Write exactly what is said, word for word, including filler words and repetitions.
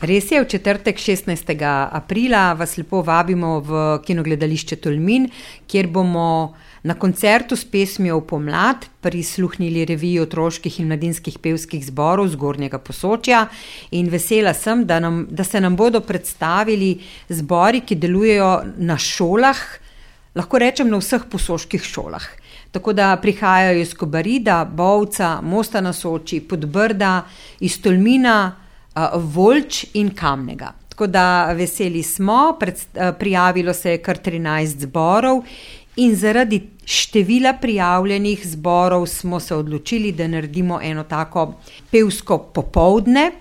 Res je, v četrtek šestnajstega aprila vas lepo vabimo v kinogledališče Tolmin, kjer bomo na koncertu s pesmijo Pomlad prisluhnili reviji otroških in mladinskih pevskih zborov Zgornjega Posočja in vesela sem, da, nam, da se nam bodo predstavili zbori, ki delujejo na šolah, lahko rečem na vseh posoških šolah. Tako da prihajajo iz Kobarida, Bovca, Mosta na Soči, Podbrda, iz Tolmina, Voljč in Kamnega. Tako da veseli smo, pred, prijavilo se je kar trinajst zborov in zaradi števila prijavljenih zborov smo se odločili, da naredimo eno tako pevsko popoldne.